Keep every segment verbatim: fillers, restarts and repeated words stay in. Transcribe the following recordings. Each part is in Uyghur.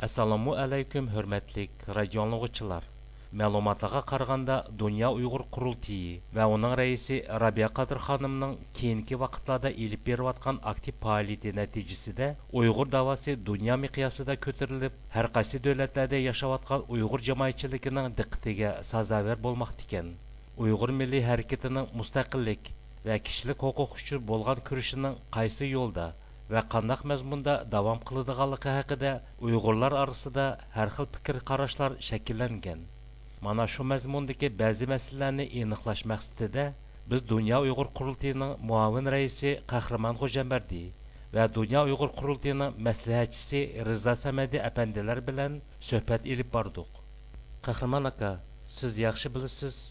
ئەسسالامۇ ئەلەيكۇم، ھۆرمەتلىك رادىيو ئاڭلىغۇچىلار. مەلۇماتلارغا قارىغاندا، دۇنيا ئۇيغۇر قۇرۇلتىيى ۋە ئۇنىڭ رەئىسى رابىيە قادىر خانىمنىڭ كېيىنكى ۋاقىتلاردا ئېلىپ بېرىۋاتقان ئاكتىپ پائالىيىتى نەتىجىسىدە ئۇيغۇر داۋاسى دۇنيا مىقياسىدا كۆتۈرۈلۈپ، ھەر قايسى دۆلەتلەردە ياشاۋاتقان ئۇيغۇر جامائەتچىلىكىنىڭ دىققىتىگە سازاۋەر بولماقتا ئىكەن. ئۇيغۇر مىللىي ھەرىكىتىنىڭ مۇستەقىللىك ۋە كىشىلىك ھوقۇق ئۈچۈن بولغان كۈرىشىنىڭ قايسى يولدا ۋە قانداق مەزمۇندا داۋام قىلىدىغانلىقى ھەققىدە ئۇيغۇرلار ئارىسىدا ھەر خىل پىكىر قاراشلار شەكىللەنگەن. مانا شۇ مەزمۇندىكى بەزى مەسىلىلەرنى ئېنىقلاش مەقسىتىدە بىز دۇنيا ئۇيغۇر قۇرۇلتىيىنىڭ مۇئاۋىن رەئىسى قەھرىمان خوجامبەردى ۋە دۇنيا ئۇيغۇر قۇرۇلتىيىنىڭ مەسلىھەتچىسى رىزا سەمەدى ئەپەندىلەر بىلەن سۆھبەت ئېلىپ باردۇق. قەھرىمان ئاكا، سىز ياخشى بىلىسىز،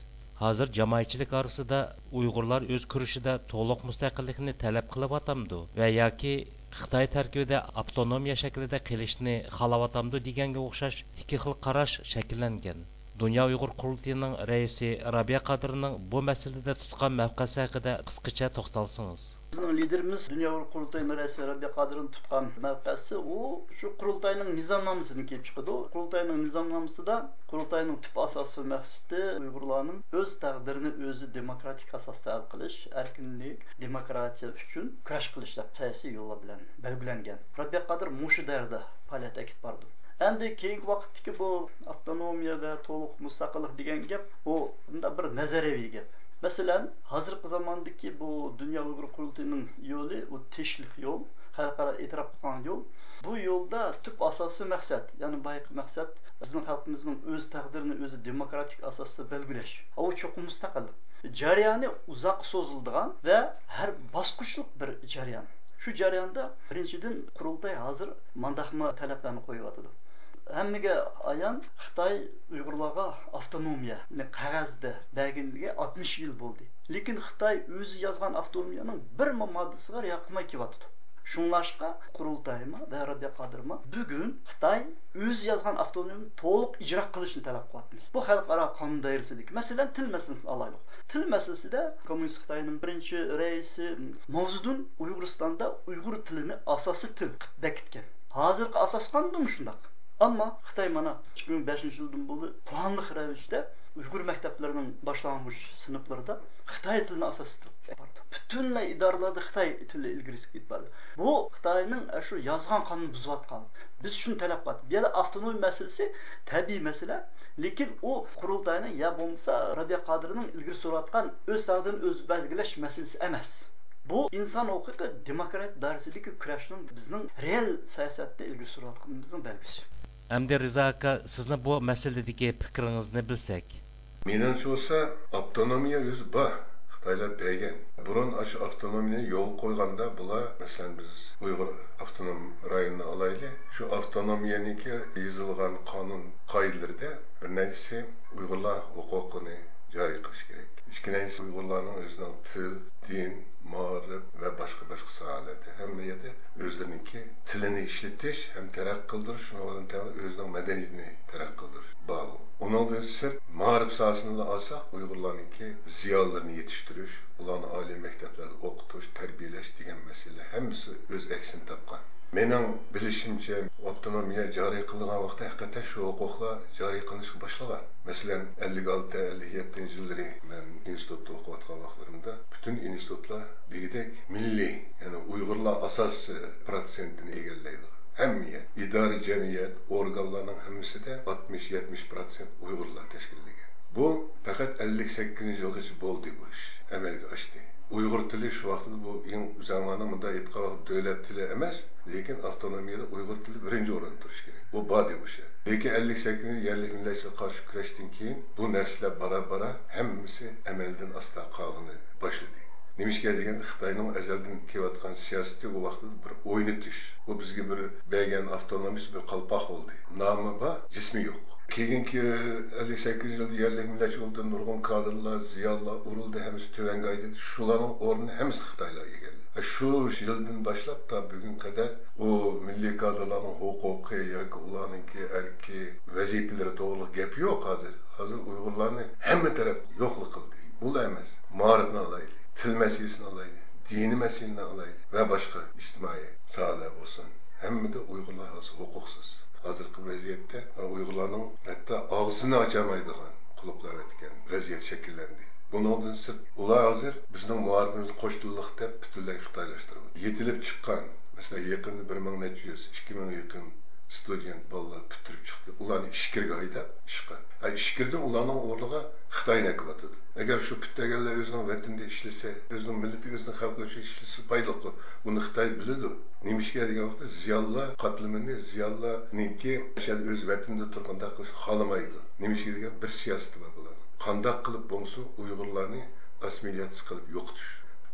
ھازىر جامائەتچىلىك ئارىسىدا ئۇيغۇرلار ئۆز كۈرىشىدە تولۇق مۇستەقىللىكنى تەلەپ قىلىۋاتامدۇ ۋە ياكى خىتاي تەركىبىدە ئاپتونومىيە شەكلىدە قېلىشنى خالاۋاتامدۇ دېگەنگە ئوخشاش ئىككى خىل قاراش شەكىللەنگەن. دۇنيا ئۇيغۇر قۇرۇلتىيىنىڭ رەئىسى رابىيە قادىرنىڭ بۇ مەسىلىدە تۇتقان مەۋقەسى ھەققىدە قىسقىچە توختالسىڭىز. بىزنىڭ لىدېرىمىز دۇنيا ئۇيغۇر قۇرۇلتىيىنىڭ رەئىسى رەبىيە قادىرنىڭ تۇتقان مەۋقەسى، ئۇ شۇ قۇرۇلتاينىڭ نىزامنامىسىدىن كېلىپ چىقىدۇ. قۇرۇلتاينىڭ نىزامنامىسىدا قۇرۇلتاينىڭ تۈپ ئاساسىي مەقسىتى ئۇيغۇرلارنىڭ ئۆز تەقدىرىنى ئۆزى دېموكراتىك ئاساستا ھەل قىلىش، ئەركىنلىك، دېموكراتىيە ئۈچۈن كۈرەش قىلىش دەپ سىياسىي يوللار بىلەن بەلگىلەنگەن. رەبىيە قادىر مۇشۇ دائىرىدە پائالىيەت ئېلىپ بارىدۇ. ئەمدى كېيىنكى ۋاقىتتىكى بۇ ئاپتونومىيە ۋە تولۇق مۇستەقىللىق دېگەن گەپ، بۇ مۇنداق بىر نەزەرىيەۋى گەپ. مەسىلەن، ھازىرقى زاماندىكى بۇ دۇنيا ئۇيغۇر قۇرۇلتىيىنىڭ يولى، ئۇ تىنچلىق يول، خەلقئارا ئېتىراپ قىلغان يول. بۇ يولدا تۈپ ئاساسىي مەقسەت، يەنى بايىقى مەقسەت، بىزنىڭ خەلقىمىزنىڭ ئۆز تەقدىرىنى ئۆزى دېموكراتىك ئاساستا بەلگىلەش. ئۇ چوقۇم مۇستەقىل. جەريانى ئۇزاققا سوزۇلىدىغان ۋە ھەر باسقۇچلۇق بىر جەريان. شۇ جەرياندا، بىرىنچىدىن، قۇرۇلتاي ھازىر مانداقمۇ تەلەپلەرنى قويۇۋاتىدۇ. ھەممىگە ئايان، خىتاي ئۇيغۇرلارغا ئاپتونومىيەنى قەغەزدە بەرگىنىگە ئاتمىش يىل بولدى. لېكىن خىتاي ئۆزى يازغان ئاپتونومىيەنىڭ بىرمۇ ماددىسىغا رىئايە قىلماي كېلىۋاتىدۇ. شۇڭلاشقا قۇرۇلتايمۇ ۋە رەبىيە قادىرمۇ بۈگۈن خىتاي ئۆزى يازغان ئاپتونومىيەنى تولۇق ئىجرا قىلىشنى تەلەپ قىلىۋاتىمىز. بۇ خەلقئارا قانۇن دائىرىسىدىكى، مەسىلەن، تىل مەسىلىسىنى ئالايلۇق. تىل مەسىلىسىدە كوممۇنىست خىتاينىڭ بىرىنچى رەئىسى ماۋزېدۇن ئۇيغۇرىستاندا ئۇيغۇر تىلىنى ئاساسىي تىل قىلىپ بېكىتكەن. ھازىرقى ئاساس قانۇندا مۇشۇنداق. ئەمما خىتاي مانا ئىككى مىڭ بەشىنچى يىلدىن بۇيان پىلانلىق رەۋىشتە ئۇيغۇر مەكتەپلىرىنىڭ باشلانغۇچ سىنىپلىرىدا خىتاي تىلىنى ئاساسىي تىل قىلىپ بارىدۇ. پۈتۈنلەي ئىدارىلەردە خىتاي تىلى ئىلگىرى سۈرۈپ كېتىپ بارىدۇ. بۇ خىتاينىڭ شۇ يازغان قانۇنىنى بۇزۇۋاتقان. بىز شۇنى تەلەپ قىلاتتۇق. بۇ يەردە ئاپتونومىيە مەسىلىسى تەبىئىي مەسىلە، لېكىن ئۇ قۇرۇلتاينىڭ يا بولمىسا رەبىيە قادىرنىڭ ئىلگىرى سۈرۈۋاتقان ئۆز تەقدىرىنى ئۆزى بەلگىلەش مەسىلىسى ئەمەس. بۇ ئىنسان ھوقۇقى، دېموكراتىيە دائىرىسىدىكى كۈرەشنىڭ بىزنىڭ رېئال سىياسەتتە ئىلگىرى سۈرۈۋاتقىنىمىزنىڭ بەلگىسى. ئەمدى رىزا ئاكا، سىزنى بۇ مەسىلىدىكى پىكرىڭىزنى بىلسەك. مېنىڭچە بولسا، ئاپتونومىيە ئۆزى بار، خىتايلار بەرگەن. بۇرۇن ئاشۇ ئاپتونومىيەنى يولغا قويغاندا بۇلار، مەسىلەن، بىز ئۇيغۇر ئاپتونوم رايونىنى ئالايلى، شۇ ئاپتونومىيەنىڭكى يېزىلغان قانۇن قائىدىلىرىدە بىر نەچچىسى ئۇيغۇرلار ھوقۇقىنى جارى قىلىش كېرەك. ئىككىنچىسى، ئۇيغۇرلارنىڭ ئۆزىنىڭ تىل، دىن، مائارىپ ۋە باشقا، باشقا ساھەلەردە ھەممە يەردە ئۆزلىرىنىڭكى تىلىنى ئىشلىتىش ھەم تەرەققىي قىلدۇرۇش، شۇنىڭ بىلەن تەڭلا ئۆزىنىڭ مەدەنىيىتىنى تەرەققىي قىلدۇرۇش بار. ئۇنىڭدىن سىرت، مائارىپ ساھەسىنىلا ئالساق، ئۇيغۇرلارنىڭكى زىيالىيلىرىنى يېتىشتۈرۈش، ئۇلارنى ئالىي مەكتەپلەردە ئوقۇتۇش، تەربىيەلەش دېگەن مەسىلىلەر ھەممىسى ئۆز ئەكسىنى تاپقان. مېنىڭ بىلىشىمچە، ئاپتونومىيە جارى قىلىنغان ۋاقىتتا ھەقىقەتەن شۇ ھوقۇقلار جارى قىلىنىشقا باشلىغان. مەسىلەن، ئەللىك ئالتە، ئەللىك يەتتىنچى يىللىرى مەن ئىنستىتۇتتا ئوقۇۋاتقان ۋاقىتلىرىمدا پۈتۈن ئىنستىتۇتلار دېگۈدەك مىللىي، يەنى ئۇيغۇرلار ئاساسىي پىروتسېنتىنى ئىگىلەيدۇ. ھەممە يەر، ئىدارە، جەمئىيەت، ئورگانلارنىڭ ھەممىسىدە ئاتمىش، يەتمىش پىروتسېنت ئۇيغۇرلار تەشكىللىگەن. بۇ پەقەت ئەللىك سەككىزىنچى يىلغىچە بولدى، بۇ ئىش ئەمەلگە ئاشتى. ئۇيغۇر تىلى شۇ ۋاقىتتا بۇ ئەڭ ئۆزەڭلارنىڭ مۇنداق ئېيتقان ۋاقىت دۆلەت تىلى ئەمەس، لېكىن ئاپتونومىيەدە ئۇيغۇر تىلى بىرىنچى ئورۇندا تۇرۇشى كېرەك. بۇ باردى ئوشۇ. لېكىن ئەللىك سەككىزىنچى يەرلىك مىللەتچىلىككە قارشى كۈرەشتىن كېيىن بۇ نەرسىلەر بارا-بارا ھەممىسى ئەمەلدىن ئاستا قالغىنى باشلىدى. نېمىشقا دېگەندە، خىتاينىڭ ئەزەلدىن كېلىۋاتقان سىياسىتى ئۇ ۋاقىتتا بىر ئوينىتىش. بۇ بىزگە بىر بەرگەن ئاپتونومىيىسى بىر قالپاق بولدى. نامى بار، جىسمى يوق. كېيىنكى ئەللىك سەككىزىنچى يىلدا يەرلىك مىللەتچى ئۇلدىن نۇرغۇن كادىرلار، زىيالىيلار ئۇرۇلدى، ھەممىسى تۆۋەنگە ئايلىندى. شۇلارنىڭ ئورنىنى ھەممىسىنى خىتايلار ئىگىلىدى. شۇ يىلدىن باشلاپ تا بۈگۈنگە قەدەر ئۇ مىللىي كادىرلارنىڭ ھوقۇقى ياكى ئۇلارنىڭكى ئەركى، ۋەزىپىلىرى توغرىلىق گەپ يوق ھازىر. ھازىر ئۇيغۇرلارنى ھەممە تەرەپ يوقلا قىلدى. بۇلا ئەمەس، مائارىپنى ئالايلى، تىل مەسىلىسىنى ئالايلى، دىنىي مەسىلىنى ئالايلى ۋە باشقا ئىجتىمائىي ساھەلەر بولسۇن، ھەممىدە ئۇيغۇرلار ھازىر ھوقۇقسىز. ھازىرقى ۋەزىيەتتە ئۇيغۇرلارنىڭ ھەتتا ئاغزىنى ئاچالمايدىغان قۇلۇپلاۋەتكەن ۋەزىيەت شەكىللەندى. بۇنىڭدىن سىرت، ئۇلار ھازىر بىزنىڭ مائارىپىمىزنى قوش تىللىق دەپ پۈتۈنلەي خىتايلاشتۇرۇۋاتىدۇ. يېتىلىپ چىققان، مەسىلەن، يېقىندا بىر مىڭ نەچچە يۈز، ئىككى مىڭ يېقىن ستۇدېنت بالىلار پۈتتۈرۈپ چىقتى. ئۇلارنى ئىچكىرىگە ھەيدەپ ئىشقا. ھە، ئىچكىرىدىن ئۇلارنىڭ ئورنىغا خىتاينى ئەكىۋاتىدۇ. ئەگەر شۇ پۈتتۈرگەنلەر ئۆزىنىڭ ۋەتىنىدە ئىشلىسە، ئۆزىنىڭ مىللىتى، ئۆزىنىڭ خەلقى ئۈچۈن ئىشلىسە پايدىلىققۇ. بۇنى خىتاي بىلىدۇ. نېمىشقا دېگەن ۋاقىتتا زىيالىيلار قاتلىمىنى، زىيالىيلارنىڭكى مەسىلەن ئۆز ۋەتىنىدە تۇرۇپ قانداق قىلىشنى خالىمايدۇ. نېمىشقا دېگەن بىر سىياسىتى بار بۇلارنىڭ. قانداق قىلىپ بولمىسۇن ئۇيغۇرلارنى ئاسسىمىلياتسىيە قىلىپ يوقىتىش.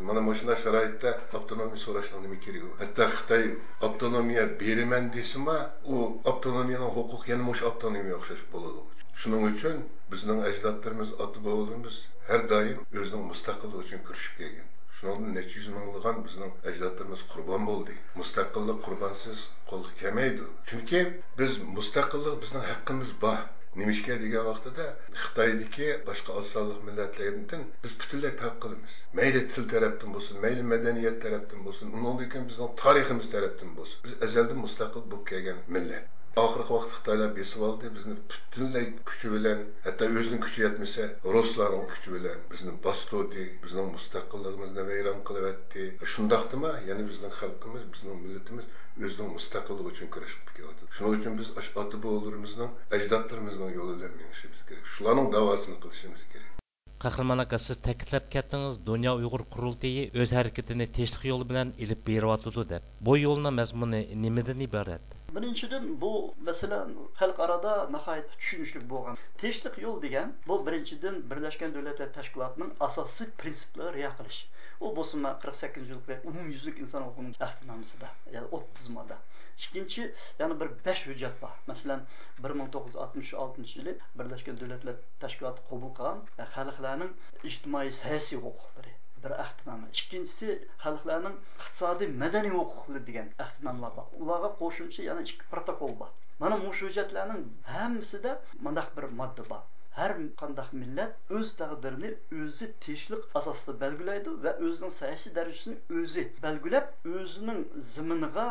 مانا مۇشۇنداق شارائىتتا ئاپتونومىيە سوراشنىڭ نېمە كېرىكى بار؟ ھەتتا خىتاي ئاپتونومىيە بېرىمەن دېسىمۇ، ئۇ ئاپتونومىيەنىڭ ھوقۇقى يەنە مۇشۇ ئاپتونومىيەگە ئوخشاش بولىدۇ. شۇنىڭ ئۈچۈن بىزنىڭ ئەجدادلىرىمىز، ئاتا-بوۋىلىرىمىز ھەر دائىم ئۆزىنىڭ مۇستەقىللىقى ئۈچۈن كۈرىشىپ كەلگەن. شۇنىڭدىن نەچچە يۈز مىڭلىغان بىزنىڭ ئەجدادلىرىمىز قۇربان بولدى. مۇستەقىللىق قۇربانسىز قولغا كەلمەيدۇ. چۈنكى بىز مۇستەقىللىق، بىزنىڭ ھەققىمىز بار. نېمىشقا دېگەن ۋاقتىدا خىتايدىكى باشقا ئاز سانلىق مىللەتلەردىن بىز پۈتۈنلەي پەرق قىلىمىز. مەيلى تىل تەرەپتىن بولسۇن، مەيلى مەدەنىيەت تەرەپتىن بولسۇن، ئۇنىڭدىن كېيىن بىزنىڭ تارىخىمىز تەرەپتىن بولسۇن، بىز ئەزەلدىن مۇستەقىل بولۇپ كەلگەن مىللەت. ئاخىرقى ۋاقىتتا خىتايلار بېسىۋالدى، بىزنى پۈتۈنلەي كۈچى بىلەن، ھەتتا ئۆزىنىڭ كۈچى يەتمىسە، رۇسلارنىڭ كۈچى بىلەن بىزنى باستۇردى، بىزنىڭ مۇستەقىللىقىمىزنى ۋەيران قىلىۋەتتى. شۇنداقتىمۇ يەنە بىزنىڭ خەلقىمىز، بىزنىڭ مىللىتىمىز ئۆزىنىڭ مۇستەقىللىقى ئۈچۈن كۈرەش قىلىپ كېلىۋاتىدۇ. شۇنىڭ ئۈچۈن بىز ئاشۇ ئاتا-بوۋىلىرىمىزنىڭ، ئەجدادلىرىمىزنىڭ يولى بىلەن مېڭىشىمىز كېرەك. شۇلارنىڭ داۋاسىنى قىلىشىمىز كېرەك. قەھرىمان ئاكا، سىز تەكىتلەپ كەتتىڭىز، دۇنيا ئۇيغۇر قۇرۇلتىيى ئۆز ھەرىكىتىنى تىنچلىق يولى بىلەن ئېلىپ بېرىۋاتىدۇ دەپ. بۇ يولنىڭ مەزمۇنى نېمىدىن ئىبارەت؟ بىرىنچىدىن، بۇ مەسىلە خەلقئارادا ناھايىتى چۈشىنىشلىك بولغان. تىنچلىق يول دېگەن، بۇ بىرىنچىدىن، بىرلەشكەن دۆلەتلەر تەشكىلاتىنىڭ ئاساسىي پىرىنسىپلىرىغا رىئايە قىلىش. ئۇ بولسىمۇ قىرىق سەككىزىنچى يىلقى ئومۇميۈزلۈك ئىنسان ھوقۇقىنىڭ ئەھدىنامىسىدا، يەنى ئوتتۇز ماددا. ئىككىنچى، يەنە بىر بەش ھۆججەت بار. مەسىلەن، بىر مىڭ توققۇز يۈز ئاتمىش ئالتىنچى يىلى بىرلەشكەن دۆلەتلەر تەشكىلاتى قوبۇل قىلغان خەلقلەرنىڭ ئىجتىمائىي سىياسىي ھوقۇقلىرى بىر ئەھدىنامە. ئىككىنچىسى، خەلقلەرنىڭ ئىقتىسادىي، مەدەنىي ھوقۇقلىرى دېگەن ئەھدىنامىلار بار. ئۇلارغا قوشۇمچە يەنە ئىككى پروتوكول بار. مانا مۇشۇ ھۆججەتلەرنىڭ ھەممىسىدە مۇنداق بىر ماددا بار. ھەر قانداق مىللەت ئۆز تەقدىرىنى ئۆزى تىنچلىق ئاساسىدا بەلگىلەيدۇ ۋە ئۆزىنىڭ سىياسىي دەرىجىسىنى ئۆزى بەلگىلەپ، ئۆزىنىڭ زېمىنىغا،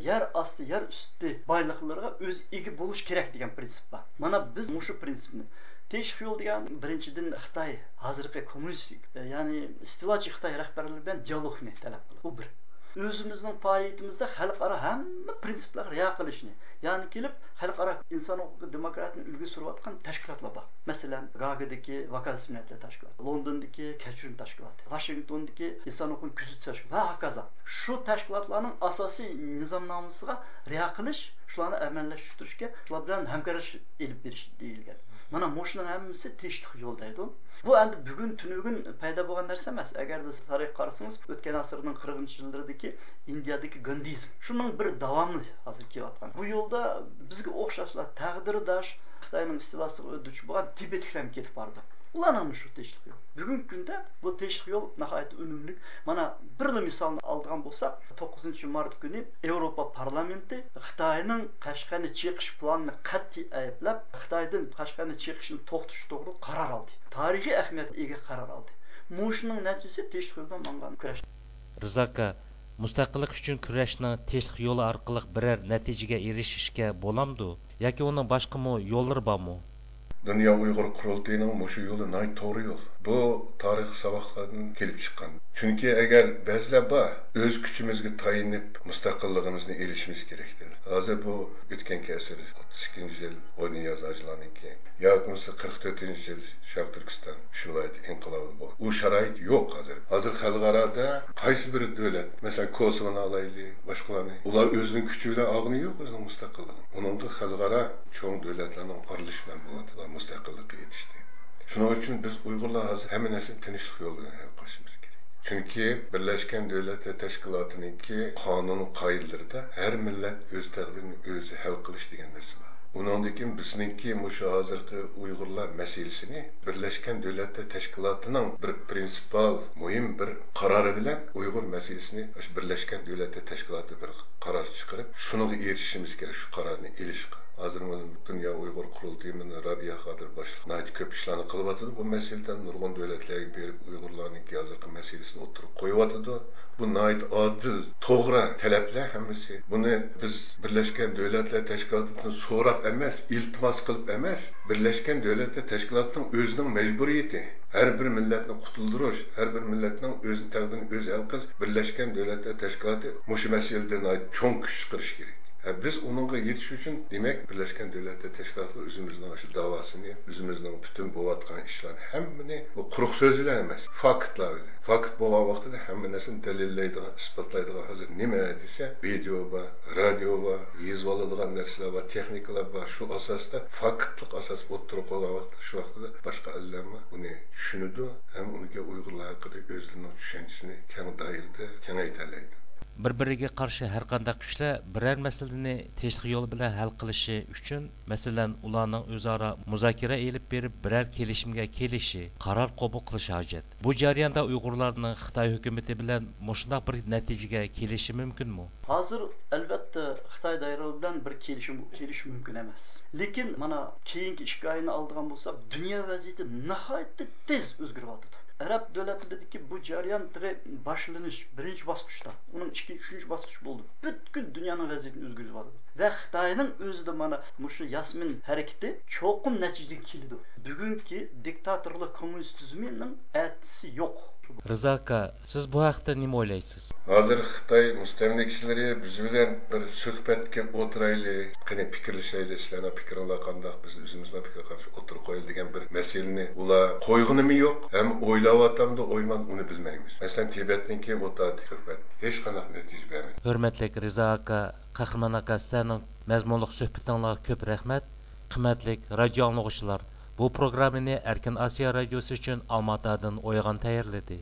يەر ئاستى، يەر ئۈستى بايلىقلىرىغا ئۆزى ئىگە بولۇشى كېرەك دېگەن پىرىنسىپ بار. مانا بىز مۇشۇ پىرىنسىپنى، تىنچلىق يول دېگەن بىرىنچىدىن خىتاي ھازىرقى كوممۇنىستىك، يەنى ئىستىلاچى خىتاي رەھبەرلىرى بىلەن دىيالوگنى تەلەپ قىلىدۇ. بۇ بىر. ئۆزىمىزنىڭ پائالىيىتىمىزدە خەلقئارا ھەممە پىرىنسىپلارغا رىئايە قىلىشنى، يەنى كېلىپ خەلقئارا ئىنسان ھوقۇقى، دېموكراتىيىنى ئىلگىرى سۈرۈۋاتقان تەشكىلاتلار بار. مەسىلەن، گاگىدىكى ۋاكالەتسىز مىللەتلەر تەشكىلاتى، لوندوندىكى كەچۈرۈم تەشكىلاتى، ۋاشىنگتوندىكى ئىنسان ھوقۇقىنى كۆزىتىش تەشكىلاتى ۋە ھاكازا. شۇ تەشكىلاتلارنىڭ ئاساسىي نىزامنامىسىغا رىئايە قىلىش، شۇلارنى ئەمەلىيلەشتۈرۈشكە، شۇلار بىلەن ھەمكارلىشىش ئېلىپ بېرىش دېيىلگەن. مانا مۇشۇنىڭ ھەممىسى تىنچلىق يولى دەيدۇ. بۇ ئەمدى بۈگۈن تۈنۈگۈن پەيدا بولغان نەرسە ئەمەس. ئەگەر بىز تارىخقا قارىسىڭىز، ئۆتكەن ئەسىرنىڭ قىرىقىنچى يىللىرىدىكى ئىندىيەدىكى گاندىزم، شۇنىڭ بىر داۋامى ھازىر كېلىۋاتقان. بۇ يولدا بىزگە ئوخشاشلا تەقدىرداش خىتاينىڭ ئىستىلاسىغا دۇچ بولغان تىبەتلىكلەرمۇ كېتىپ بارىدۇ. ئۇلارنىڭمۇ شۇ تىنچلىق يولى. بۈگۈنكى كۈندە بۇ تىنچلىق يول ناھايىتى ئۈنۈملۈك. مانا، بىرلا مىسالنى ئالىدىغان بولساق، توققۇزىنچى مارت كۈنى ياۋروپا پارلامېنتى خىتاينىڭ قەشقەرنى چېقىش پىلانىنى قەتئىي ئەيىبلەپ، خىتايدىن قەشقەرنى چېقىشنى توختىتىش توغرىلىق قارار ئالدى. تارىخىي ئەھمىيەتكە ئىگە قارار ئالدى. مۇشۇنىڭ نەتىجىسى تىنچلىق يولىدا ماڭغان كۈرەش. رىزا ئاكا، مۇستەقىللىق ئۈچۈن كۈرەشنىڭ تىنچلىق يولى ئارقىلىق بىرەر نەتىجىگە ئېرىشىشكە بولامدۇ؟ ياكى ئۇنىڭ باشقىمۇ يوللىرى بارمۇ؟ دۇنيا ئۇيغۇر قۇرۇلتىيىنىڭ مۇشۇ يولى ناھايىتى توغرا يول. بۇ تارىخ ساۋاقلاردىن كېلىپ چىققان. چۈنكى ئەگەر بەزىلەر بار، ئۆز كۈچىمىزگە تايىنىپ مۇستەقىللىقىمىزنى ئېلىشىمىز كېرەك دەيدۇ. ھازىر بۇ ئۆتكەنكى ئەسىر ئوتتۇز ئىككىنچى يىل غۇنىياز ھاجىلارنىڭكى ياكى بولمىسا قىرىق تۆتىنچى يىل شەرقىي تۈركىستان ئۈچ ۋىلايەت ئىنقىلابى بولدى. ئۇ شارائىت يوق ھازىر. ھازىر خەلقئارادا قايسى بىر دۆلەت، مەسىلەن، كوسوۋونى ئالايلى، باشقىلارنى، ئۇلار ئۆزىنىڭ كۈچى بىلەن ئالغىنى يوق ئۆزىنىڭ مۇستەقىللىقىنى. ئۇنىڭغا خەلقئارا چوڭ دۆلەتلەرنىڭ ئارىلىشىشى بىلەن بولۇۋاتىدۇ مۇستەقىللىققا يېتىشتى. شۇنىڭ ئۈچۈن بىز ئۇيغۇرلار ھازىر ھەممە نەرسىنى تىنچلىق يولى بىلەن ھەل قىلىشىمىز كېرەك. چۈنكى بىرلەشكەن دۆلەتلەر تەشكىلاتىنىڭكى قانۇن قائىدىلىرىدا ھەر مىللەت ئۆز تەقدىرىنى ئۆزى ھەل قىلىش دېگەن نەرسە بار. ئۇنىڭدىن كېيىن بىزنىڭكى مۇشۇ ھازىرقى ئۇيغۇرلار مەسىلىسىنى بىرلەشكەن دۆلەتلەر تەشكىلاتىنىڭ بىر پرىنسىپال مۇھىم بىر قارارى بىلەن ئۇيغۇر مەسىلىسىنى مۇشۇ بىرلەشكەن دۆلەتلەر تەشكىلاتى بىر قارار چىقىرىپ، شۇنىڭغا ئېرىشىشىمىز كېرەك، شۇ قارارنى ئېلىشقا. ھازىر مانا دۇنيا ئۇيغۇر قۇرۇلتىيىمىز رابىيە قادىر باشلىق ناھايىتى كۆپ ئىشلارنى قىلىۋاتىدۇ. بۇ مەسىلىدە نۇرغۇن دۆلەتلەرگە بېرىپ ئۇيغۇرلارنىڭكى ھازىرقى مەسىلىسىنى ئوتتۇرىغا قويۇۋاتىدۇ. بۇ ناھايىتى ئادىل، توغرا تەلەپلەر ھەممىسى. بۇنى بىز بىرلەشكەن دۆلەتلەر تەشكىلاتىدىن سوراپ ئەمەس، ئىلتىماس قىلىپ ئەمەس، بىرلەشكەن دۆلەتلەر تەشكىلاتىنىڭ ئۆزىنىڭ مەجبۇرىيىتى. ھەر بىر مىللەتنى قۇتۇلدۇرۇش، ھەر بىر مىللەتنىڭ ئۆزىنىڭ تەقدىرىنى ئۆزى ھەل قىلىش، بىرلەشكەن دۆلەتلەر تەشكىلاتى مۇشۇ مەسىلىدە ناھايىتى چوڭ كۈچ چىقىرىشى كېرەك. ھە، بىز ئۇنىڭغا يېتىش ئۈچۈن، دېمەك، بىرلەشكەن دۆلەتلەر تەشكىلاتىغا ئۆزىمىزنىڭ شۇ داۋاسىنى، ئۆزىمىزنىڭ پۈتۈن بولۇۋاتقان ئىشلارنى ھەممىنى، بۇ قۇرۇق سۆز بىلەن ئەمەس، فاكتلار بىلەن. فاكت بولغان ۋاقتىدا ھەممە نەرسىنى دەلىللەيدىغان، ئىسپاتلايدىغان، ھازىر نېمە دېسە، ۋىدېئو بار، رادىيو بار، يېزىۋالىدىغان نەرسىلەر بار، تېخنىكىلار بار. شۇ ئاساستا، فاكتلىق ئاساس ئوتتۇرىغا قويغان ۋاقىتتا، شۇ ۋاقتىدا باشقا ئەللەرمۇ بۇنى چۈشىنىدۇ ھەم ئۇنىڭكى ئۇيغۇرلار ھەققىدە ئۆزلىرىنىڭ چۈشەنچىسىنى كەڭ دائىرىدە كېڭەيتەلەيدۇ. بىر-بىرىگە قارشى ھەر قانداق كۈچلەر بىرەر مەسىلىنى تىنچلىق يولى بىلەن ھەل قىلىشى ئۈچۈن، مەسىلەن، ئۇلارنىڭ ئۆزئارا مۇزاكىرە ئېلىپ بېرىپ، بىرەر كېلىشىمگە كېلىشى، قارار قوبۇل قىلىشى ھاجەت. بۇ جەرياندا ئۇيغۇرلارنىڭ خىتاي ھۆكۈمىتى بىلەن مۇشۇنداق بىر نەتىجىگە كېلىشى مۇمكىنمۇ؟ ھازىر، ئەلۋەتتە، خىتاي دائىرىلىرى بىلەن بىر كېلىشىم، كېلىشىش مۇمكىن ئەمەس. لېكىن، مانا، كېيىنكى ئىككى ئاينى ئالىدىغان بولساق، دۇنيا ۋەزىيىتى ناھايىتى تېز ئۆزگىرىۋاتىدۇ. ئەرەب دۆلەتلىرىدىكى بۇ جەريان تېخى باشلىنىش، بىرىنچى باسقۇچتا، ئۇنىڭ ئىككىنچى، ئۈچىنچى باسقۇچى بولدى. پۈتكۈل دۇنيانىڭ ۋەزىيىتىنى ئۆزگەرتىۋاتىدۇ. ۋە خىتاينىڭ ئۆزىدە مانا مۇشۇ ياسمىن ھەرىكىتى چوقۇم نەتىجىگە كېلىدۇ. بۈگۈنكى دىكتاتورلۇق كوممۇنىست تۈزۈمىنىڭ ئەتىسى يوق. رىزا ئاكا، سىز بۇ ھەقتە نېمە ئويلايسىز؟ ھازىر خىتاي مۇستەملىكىچىلىرى بىز بىلەن بىر سۆھبەتكە ئولتۇرايلى، قېنى پىكىرلىشەيلى، سىلەرنىڭ پىكرىڭلار قانداق، بىز ئۆزىمىزنىڭ پىكرى قانداق ئوتتۇرىغا قويايلى دېگەن بىر مەسىلىنى ئۇلار قويغىنىمۇ يوق، ھەم ئويلاۋاتامدۇ ئويلىمامدۇ ئۇنى بىلمەيمىز. مەسىلەن، تىبەتنىڭكى ئولتۇردى سۆھبەت، ھېچقانداق نەتىجە بەرمىدى. ھۆرمەتلىك رىزا ئاكا، قەھرىمان ئاكا، سىلەرنىڭ مەزمۇنلۇق سۆھبىتىڭلارغا كۆپ رەھمەت. قىممەتلىك رادىيو ئاڭلىغۇچىلار، بۇ پروگراممىنى ئەركىن ئاسىيا رادىيوسى ئۈچۈن ئالماتادىن ئويغان تەييارلىدى.